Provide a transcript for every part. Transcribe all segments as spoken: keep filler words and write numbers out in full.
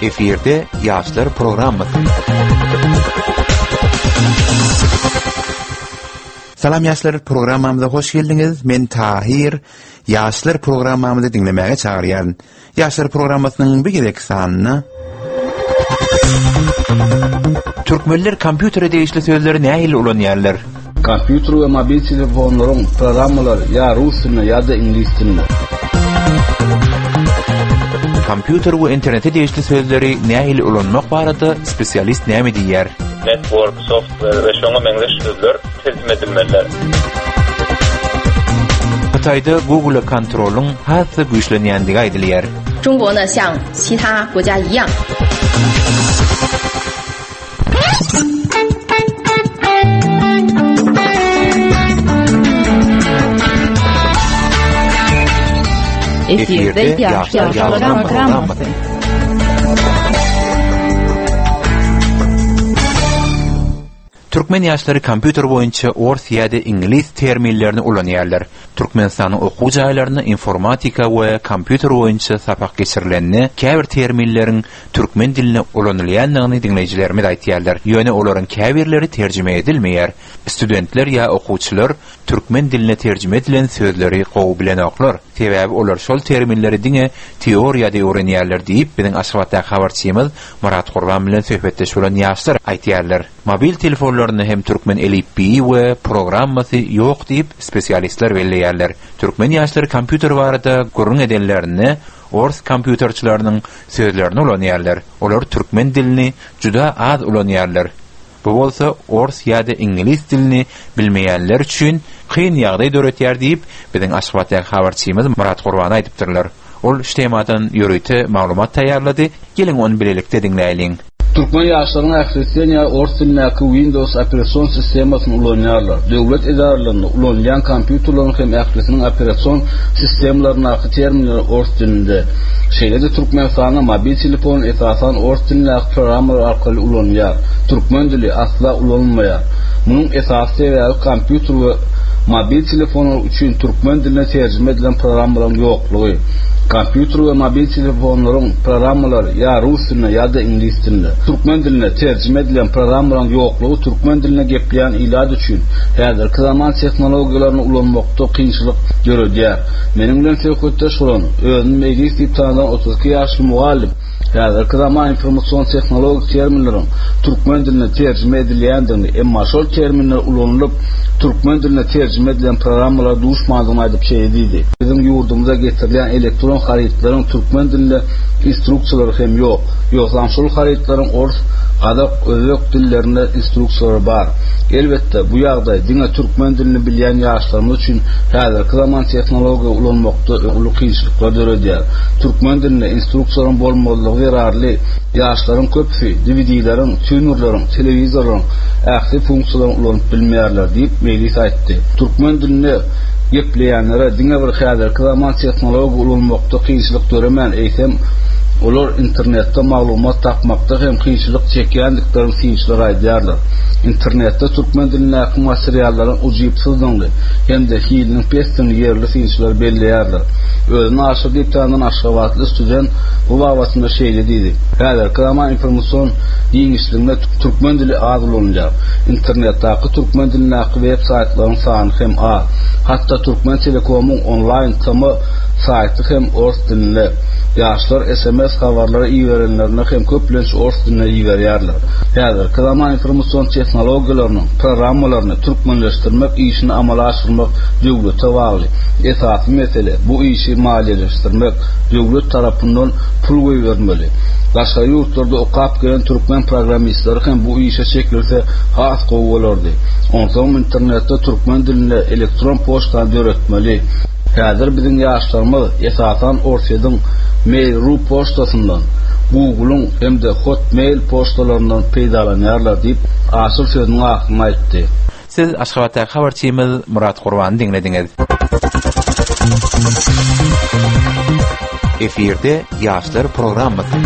Efirde Ýaşlar programmasy. Salam ýaşlar programmamyza hoş geldiňiz. Men Tahir. Ýaşlar programmamyzy diňlemäge çagyrýaryn. Ýaşlar programmasynyň bir gezek sanyna Türkmenler kompýutere degişli sözleri nähili ulanýarlar? Kompýuter we mobil telefonlaryň programmalary ýa rus dilinde ýa-da iňlis dilinde. Kompýuter we internete degişli sözleri nähili ulanmak barada spesialist näme diýýär? Network, software we şoňa meňzeş sözler terjime edilmelidir. Hytaýda Google kontrolyň has-da güýçlenýändigi aýdylýar. 中国呢，像其他国家一样， Efirde Ýaşlar programmasy. Türkmen ýaşlary kompýuter boýunça ors ýa-da iňlis terminlerini ulanýarlar. Türkmenistanyň okuw jaýlarynda informatika we kompýuter boýunça sapak geçirilende käbir terminleriň türkmen diline ulanylýandygyny diňleýjilerimiz aýtýarlar. Ýöne olaryň käbirleri terjime edilmeýär. Studentler ýa okuwçylar türkmen diline terjime edilen sözleri gowy bilenoklar. Sebäbi olar şol terminleri diňe teoriýada öwrenýärler diýip, biziň Aşgabatdaky habarçymyz Murat Gurban bilen söhbetdeş bolan ýaşlar aýtýarlar. Mobil telefonlarynda hem türkmen elipbiýi we programmasy ýok diýip spesialistler belleýärler. Türkmen ýaşlary kompýuter barada gürrüň edenlerinde ors kompýuterçileriniň sözlerini ulanýarlar. Olar türkmen dilini juda az ulanýarlar. Bu bolsa ors ýa-da iňlis dilini bilmeýänler üçin kyn ýagdaý döretýär diýip, biziň Aşgabatdaky habarçymyz Murat Gurban aýdypdyrlar. Ol şu temadan ýörite maglumat taýýarlady. Geliň ony bilelikde diňläýliň. Türkmen ýaşlaryň ählisi ýa ors dilindäki Windows operasion sistemasyny ulanýarlar. Döwlet edaralarynda ulanylýan kompýuterleriň hem ählisiniň operasion sistemalaryndaky terminler ors dilinde. Şeýle-de Türkmenistanda mobil telefon esasan ors dilindäki programmalar arkaly ulanylýar. Türkmen dili asla ulanylmaýar. Munuň esasy sebäbi kompýuter we mobil telefonlar üçin türkmen diline terjime edilen programmalaryň ýoklugy. Kompýuter we mobil telefonlaryň programmalary ýa rus dilinde ýa-da iňlis dilinde. Türkmen diline terjime edilen programmalaryň ýoklugy türkmen diline gepleýän ilat üçin häzirki zaman tehnologiýalaryny ulanmakda kynçylyk döredýär. Meniň bilen söhbetdeş bolan özüni Mejlis diýip tanylan otuz iki ýaşly mugallym häzirki zaman informasion tehnologik terminleriň türkmen diline terjime edilýändigini, emma şol terminler ulanylyp türkmen diline terjime edilen programmalara duşmandygyny aýdyp şeýle diýdi. Biziň ýurdumyza getirilýän elektron harytlaryň türkmen dilinde instruksiýalary hem ýok. Ýogsam şol harytlaryň ors, gazak, özbek dillerinde instruksiýalary bar. Elbetde, bu ýagdaý diňe türkmen dilini bilýän ýaşlarymyz üçin häzirki zaman tehnologiýa ulanmakda uly kynçylyklar döredýär. Türkmen dilinde instruksiýalaryň bolmazlygy zerarly ýaşlaryň köpüsi D V D-leriň, tunerleriň, telewizorlaryň ähli funksiýalaryny ulanyp bilmeýärler diýip Mejlis aýtdy. Türkmen dilinde gepleýänlere diňe bir häzirki zaman tehnologiýa ulanmakda kynçylyk döremän, eýsem olar internetde maglumat tapmakda hem kynçylyk çekýändiklerini synçylar aýdýarlar. Internetde türkmen dilindäki materiallaryň ujypsyzdygyny hem-de hiliniň pesdigini ýerli synçylar belleýärler. Özüni Aşyr diýip tanylan Aşgabatly student bu babatynda şeýle diýdi. Häzirki zaman informasion giňişliginde türkmen dili az ulanylýar. Internetdäki türkmen dilindäki web saýtlaryň sany hem az. Hatda Türkmen Telekomyň onlaýn T M saýty hem ors dilinde. Ýaşlar S M S habarlary iberenlerinde hem köplenç ors dilinde iberýärler. Häzirki zaman informasion tehnologiýalarynyň programmalaryny türkmenleşdirmek işini amala aşyrmak döwlete bagly. Esasy mesele bu işi maliýeleşdirmek, döwlet tarapyndan pul goýbermeli. Daşary ýurtlarda okap gelen türkmen programmistleri hem bu işe çekilse has gowy bolardy. Onsoň internetde türkmen dilinde elektron poçtany döretmeli. Häzir biziň ýaşlarymyz esasan Orsýetiň Mail nokta ru poçtasyndan, Google'yň hem-de Hotmail poçtalaryndan peýdalanýarlar diýip Aşyr sözüniň ahyryny aýtdy. Siz Aşgabatdaky habarçymyz Murat Gurbany diňlediňiz. Efirde Ýaşlar programmasy.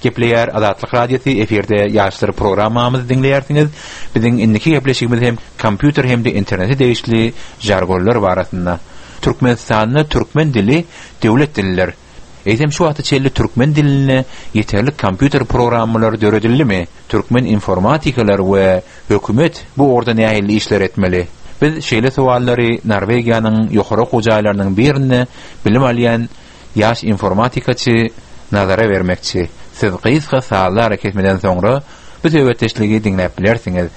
Gepleýär Azatlyk Radiosy efirde Ýaşlar programmamyzy diňleýärsiňiz. Biziň indiki gepleşigimiz hem kompýuter hem-de internete degişli jargonlar barasynda. Türkmenistanda türkmen dili döwlet dilidir. Eýsem şu wagta çenli türkmen dilinde ýeterlik kompýuter programmalary döredildimi? Türkmen informatikalar we hökümet bu ugurda nähili işler etmeli? Biz şeýle sowallary Norwegiýanyň ýokary okuw jaýlarynyň birinde bilim alýan ýaş informatikaçy Nazara bermekçi. Siz gysga sazly arakesmeden soňra bu söhbetdeşligi diňläp bilersiňiz.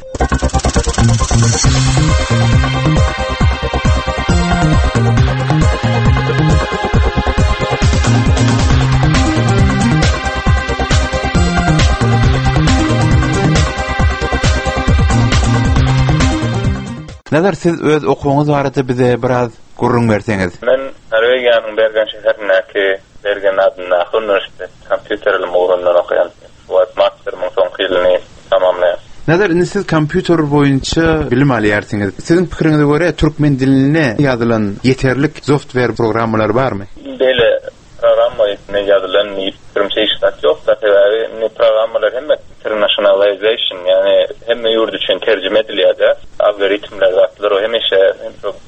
Nazar, siz öz okuwyňyz barada bize biraz gürrüň berseňiz. Men Norwegiýanyň Bergen şäherindäki Bergen adyndaky uniwersitet kompýuter ylmy ugrundan okaýan. Şu wagt masterimiň soňky ýylyny tamamlaýan. Nazar, indi siz kompýuter boýunça bilim alýarsyňyz. Siziň pikiriňize görä türkmen dilinde ýazylan ýeterlik software programmalary barmy? Beýle programma ýazylan diýip pikirimçe hiç zat ýok. Sebäbi indi programmalar hemme internationalization, ýagny hemme ýurt üçin terjime edilýär-de. Algoritmler zatlar o hemişe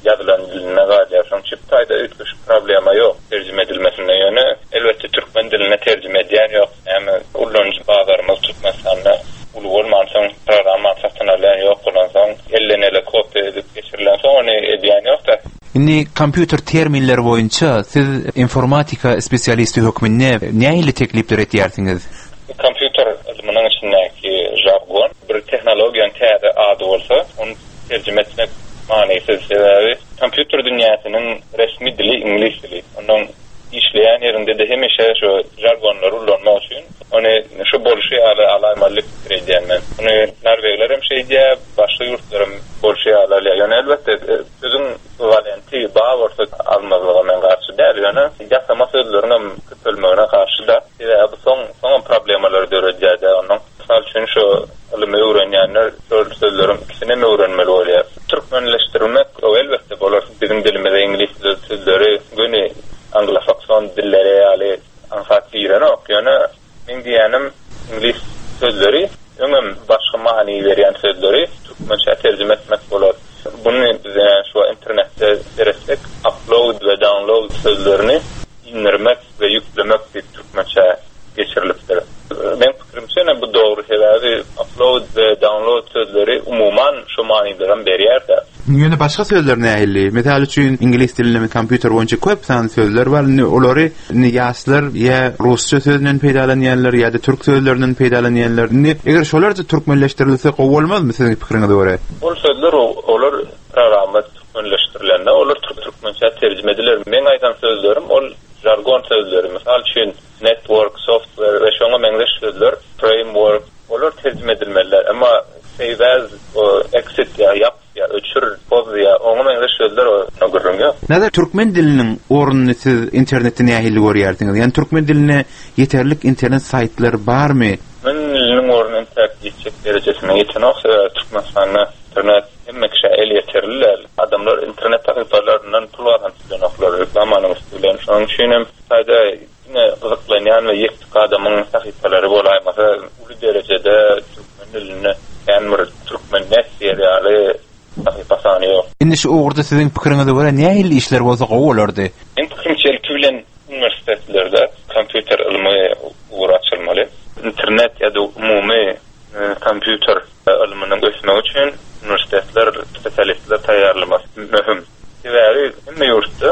ýazylan dilinde galýar. Şonuň üçin taýda üýtgeşik problema ýok terjime edilmesinde. Ýöne elbetde türkmen diline terjime edýän ýok. Näme ulanyjy bazarymyz Türkmenistanda uly bolmansoň programma satyn alýan ýok bolansoň elden ele kopýa edip geçirilensoň ony edýän ýok-da. Indi kompýuter terminleri boýunça siz informatika spesialisti hökmünde nähili teklipler etýärsiňiz? Kompýuter ylmynyň içindäki žargon bir tehnologiýanyň täze ady bolsa, ony terjime etmek manysyz, sebäbi kompýuter dünýäsiniň resmi dili iňlis dili. Ondan işleýän ýerinde-de hemişe şu žargonlary ulanmak üçin ony şu bolşy ýaly alaýmaly pikir edýän men. Ony norwegler hem şeýdýär, başga ýurtlar hem bolşy ýaly alýar. Ýöne elbetde sözüň ekwiwalenti bar bolsa almazlyga men garşy däl, ýöne ýasama sözleriň hem köpelmegine garşy-da. Sebäbi bu soň soňam problemalary döredýär-de. Onuň mysal üçin şu ylymy öwrenýänler şol sözleriň ikisini hem öwrenmeli bolýar. Türkmenleşdirmek o elbetde bolar. Biziň dilimize iňlis sözleri göni anglosakson dilleri ýaly aňsat girenok. Ýöne meň diýýänim iňlis sözleri öňem başga many berýän sözleri türkmençe terjime etmek bolar. Bunu biz şu internetde seretsek upload we download sözlerini indirmek we ýüklemek diýip türkmençe geçirilipdir. Meň pikirimçe ine bu dogry, sebäbi upload we download sözleri umuman şu manylaram berýär-de. Ýöne başga sözler nähili? Mysal üçin iňlis dilinde kompýuter boýunça köp sanly sözler bar. Indi olary indi ýaşlar ýa rusça sözünden peýdalanýarlar ýa-da türk sözlerinden peýdalanýarlar. Indi eger şolar da türkmenleşdirilse gowy bolmazmy siziň pikiriňize görä? Ol sözler olar programma türkmenleşdirilende olar türkmençe terjime ediler. Meň aýdan sözlerim ol žargon sözleri. Mysal üçin network, software we şoňa meňzeş sözler, framework olar terjime edilmeliler. Emma save as, o exit ýa ýap ýa öçür, poz ýa oňa meňzeş sözler o gürrüň ýok. Nazar, türkmen diliniň ornuny siz internetde nähili görýärsiňiz? Ýagny türkmen diline ýeterlik internet saýtlary barmy? Türkmen diliniň orny entäk ýetjek derejesine ýetenok, sebäbi Türkmenistanda internet hemme kişä elýeterli däl. Adamlar internet sahypalaryndan pul gazanyp bilenoklar reklamanyň üsti bilen. Şonuň üçin hem saýda diňe gyzyklanýan we ýektik adamyň sahypalary bolaýmasa uly derejede türkmen dilinde kän bir türkmen net diýer ýaly sahypa sany ýok. Indi şu ugurda siziň pikiriňize görä nähili işler bolsa gowy bolardy? Meň pikirimçe ilki bilen uniwersitetlerde kompýuter ylmy ugry açylmaly. Internet ýa-da umumy kompýuter ylmynyň ösmegi üçin uniwersitetler spesialistler taýýarlamasy möhüm. Sebäbi hemme ýurtda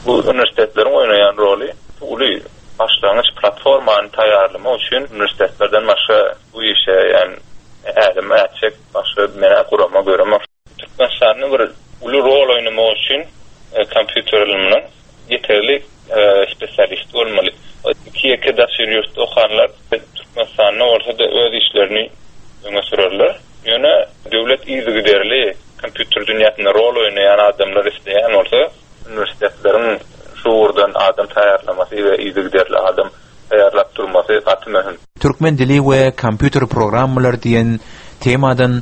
bu uniwersitetleriň oýnaýan roly uly. Başlangyç platformany taýýarlamak üçin uniwersitetlerden başga bu işe ýagny ädim ätjek başga menä gurama göremok. Türkmenistanda bir uly rol oýnamak üçin kompýuter ylmynyň ýeterli spesialist bolmaly. Iki ýeke daşary ýurtda okanlar Türkmenistanda bolsa-da öz işlerini öňe sürerler. Ýöne döwlet yzygiderli kompýuter dünýäsinde rol oýnaýan adamlar isleýän bolsa, uniwersitetleriň şu ugurdan adam taýýarlamasy we yzygiderli adam taýýarlap durmasy gaty möhüm. Türkmen dili we kompýuter programmalary diýen temadan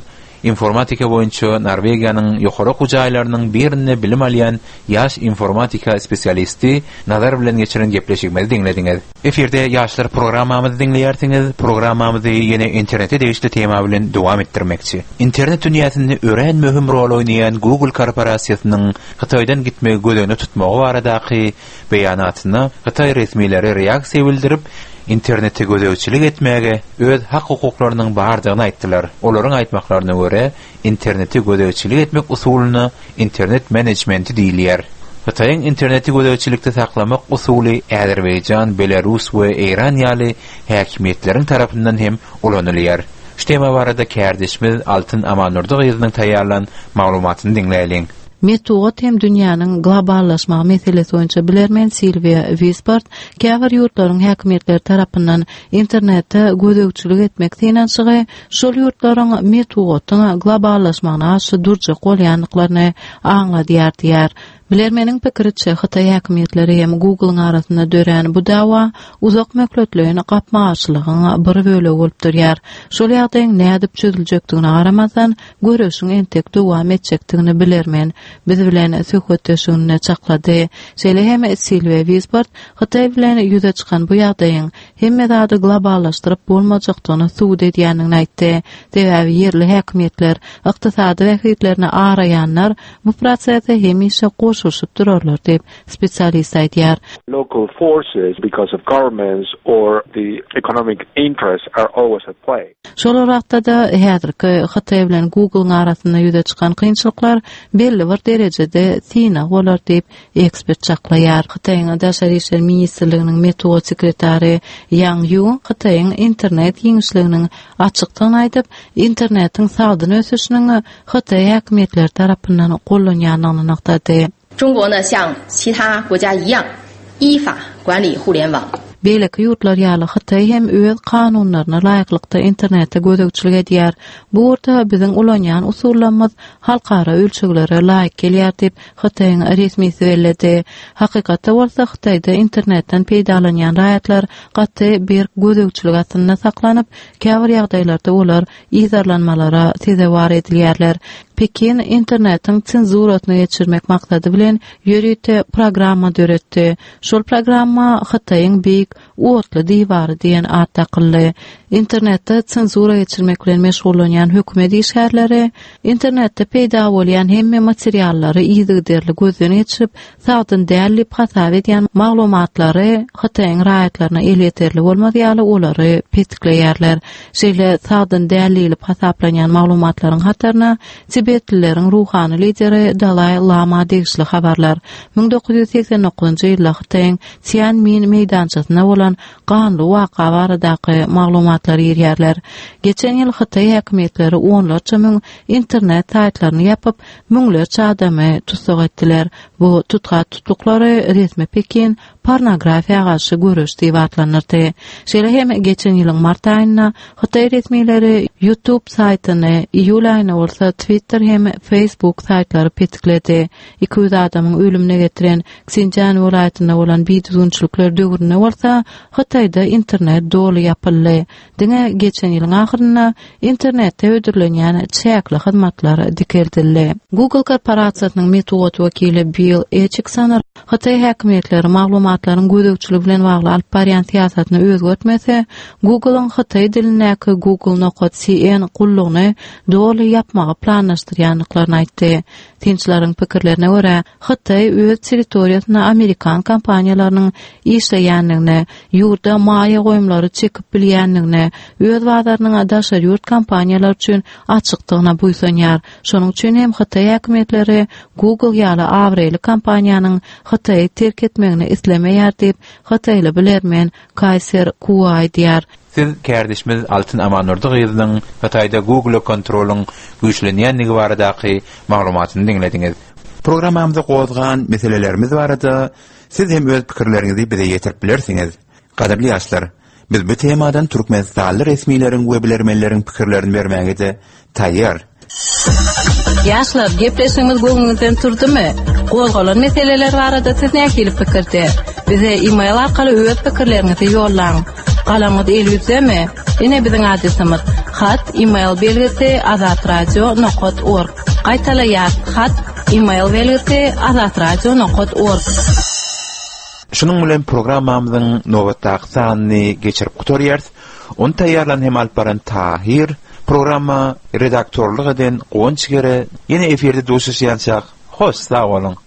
Informatika boýunça Norwegiýanyň ýokary okuw jaýlarynyň birinde bilim alýan ýaş informatika spesialisti Nazar bilen geçiren gepleşigimizi diňlediňiz. Efirde ýaşlar programmamyzy diňleýärsiňiz. Programmamyzy ýene internete degişli tema bilen dowam etdirmekçi. Internet dünýäsinde örän möhüm rol oýnaýan Google korporasiýasynyň Hytaýdan gitmegi göz öňünde tutmagy baradaky beýanatyna Hytaý resmileri reaksiýa bildirip, internete gözegçilik etmäge öz hak hukuklarynyň bardygyny aýtdylar. Olaryň aýtmaklaryna görä, internete gözegçilik etmek usulyna internet menejmenti diýilýär. Hytaýyň interneti gözegçilikde saklamak usuly Azerbaýjan, Belarus we Eýran ýaly häkimiýetleriň tarapyndan hem ulanylýar. Şu tema barada kärdeşimiz Altyn Amannurdy gyzynyň taýýarlan maglumatyny diňläýliň. Metbugat hem dünýäniň globallaşmagy meselesi boýunça bilermen Silwiýa Wispert käbir ýurtlaryň häkimiýetleri tarapyndan internete gözegçilik etmek synanyşygy şol ýurtlaryň metbugatyň globallaşmagyna garşy durjak bolýandyklaryny aňladýar diýär. Bilermeniň pikiriçe Hytaý häkimiýetleri hem Google'yň arasynda dörän bu dawa uzak möhletleýin gapma-garşylygyň bir bölegi bolup durýar. Şol ýagdaýyň nädip çözüljekdigine garamazdan göreşiň entek dowam etjekdigini bilermen biz bilen söhbetdeşliginde çaklady. Şeýle hem Silwiýa Wispert Hytaý bilen ýüze çykan bu ýagdaýyň hemme zady globallaşdyryp bolmajakdygyny subut edýändigini aýtdy. Sebäbi ýerli häkimiýetler ykdysady bähbitlerini araýanlar bu prosese hemişe goşulyşyp durarlar diýip spesialist aýdýar. Local forces because of governments or the economic interests are always at play. Şol wagtda-da häzirki Hytaý bilen Google'yň arasynda ýüze çykan kynçylyklar belli bir derejede synag bolar diýip ekspert çaklaýar. Hytaýyň Daşary işler ministrliginiň metbugat sekretary Yang Yu Hytaýyň internet giňişliginiň açykdygyny aýdyp, internetiň sagdyn ösüşiniň Hytaý häkimiýetleri tarapyndan gollanýandygyny nygtady. 中国呢，像其他国家一样，依法管理互联网。 Beýleki ýurtlar ýaly Hytaý hem öz kanunlaryna laýyklykda internete gözegçilik edýär. Bu ugurda biziň ulanýan usullarymyz halkara ölçeglere laýyk gelýär diýip Hytaýyň resmisi belledi. Hakykatda bolsa Hytaýda internetden peýdalanýan raýatlar gaty bir gözegçilik astynda saklanyp, käbir ýagdaýlarda olar yzarlanmalara sezewar edilýärler. Pekin internetiň senzurasyny geçirmek maksady bilen ýörite programma döretdi. Şol programma Hytaýyň beýik otly diwary diýen at dakyldy. Internetde senzura geçirmek bilen meşgullanýan hökümet işgärleri internetde peýda bolýan hemme materiallary yzygiderli gözden geçirip, sagdyn däl diýip hasap edýän maglumatlary Hytaýyň raýatlaryna elýeterli bolmaz ýaly olary petikleýärler. Şeýle sagdyn däl diýlip hasaplanýan maglumatlaryň hataryna Tibetlileriň ruhany lideri Dalai Lama degişli habarlar müň dokuz ýüz seksen dokuzynjy ýylda Hytaýyň Tiananmen meýdançasynda bolan ganly waka baradaky maglumatlar girýärler. Geçen ýyl Hytaý häkimiýetleri onlarça müň internet saýtlaryny ýapyp, müňlerçe adamy tussag etdiler. Bu tutgat tutluklary resmi Pekin pornografiýa garşy göreş diýip atlandyrdy. Şeýle hem geçen ýylyň mart aýynda Hytaý resmileri YouTube saýtyny, iýul aýynda bolsa Twitter hem Facebook saýtlary petikledi. Iki ýüz adamyň ölümine getiren Xinjiang welaýatynda bolan bidüzgünçilikler döwründe bolsa Hytaýda internet doly ýapyldy. Diňe geçen ýylyň ahyrynda internetde hödürlenýän çäkli hyzmatlar dikeldildi. Google korporasiýasynyň metbugat wekili Bill Atchison Hytaý häkimiýetleri maglumatlaryň gözegçiligi bilen bagly alyp barýan syýasatyny özgertmese, Google'yň Hytaý dilindäki Google nokta C N gullugyny doly ýapmagy planlaşdyrýandyklaryny aýtdy. Synçylaryň pikirlerine görä, Hytaý öz territoriýasynda Amerikan kompaniýalarynyň işleýändigine, ýurda maýa goýumlary çekip bilýändigine, öz bazarynyň daşary ýurt kompaniýalary üçin açykdygyna buýsanýar. Şonuň üçin hem Hytaý häkimiýetleri Google ýaly abraýly kompaniýanyň Hytaýy terk etmegini islemeýär diýip, Hytaýly bilermen Kaiser Kuo aýdýar. Siz kärdeşimiz Altyn Amannurdy gyzynyň Hytaýda Google kontrolyň güýçlenýändigi baradaky maglumatyny diňlediňiz. Programmamyzda gozgan meselelerimiz barada siz hem öz pikirleriňizi bize ýetirip bilersiňiz. Gadyrly ýaşlar, biz bu temadan Türkmenistanly resmileriň we bilermenleriň pikirlerini bermäge de taýýar. Ýaşlar, gepleşigimiz göwnüňizden turdumy? Gozgalan meseleler barada siz nähili pikirde? Bize e-mail arkaly öz pikirleriňizi ýollaň. Galamyňyz eliňizdemi? Ine biziň adresimiz: Hat email belgisi azatradio.org. Gaýtalaýas hat email belgisi azatradio.org. Şunuň bilen programmamyzyň nobatdaky sanyny geçirip gutarýarys. Ony taýýarlan hem alyp baran Tahir, programma redaktorlyk eden Guwanç Gere, ýene efirde duşuşýançak. Hoş sag boluň.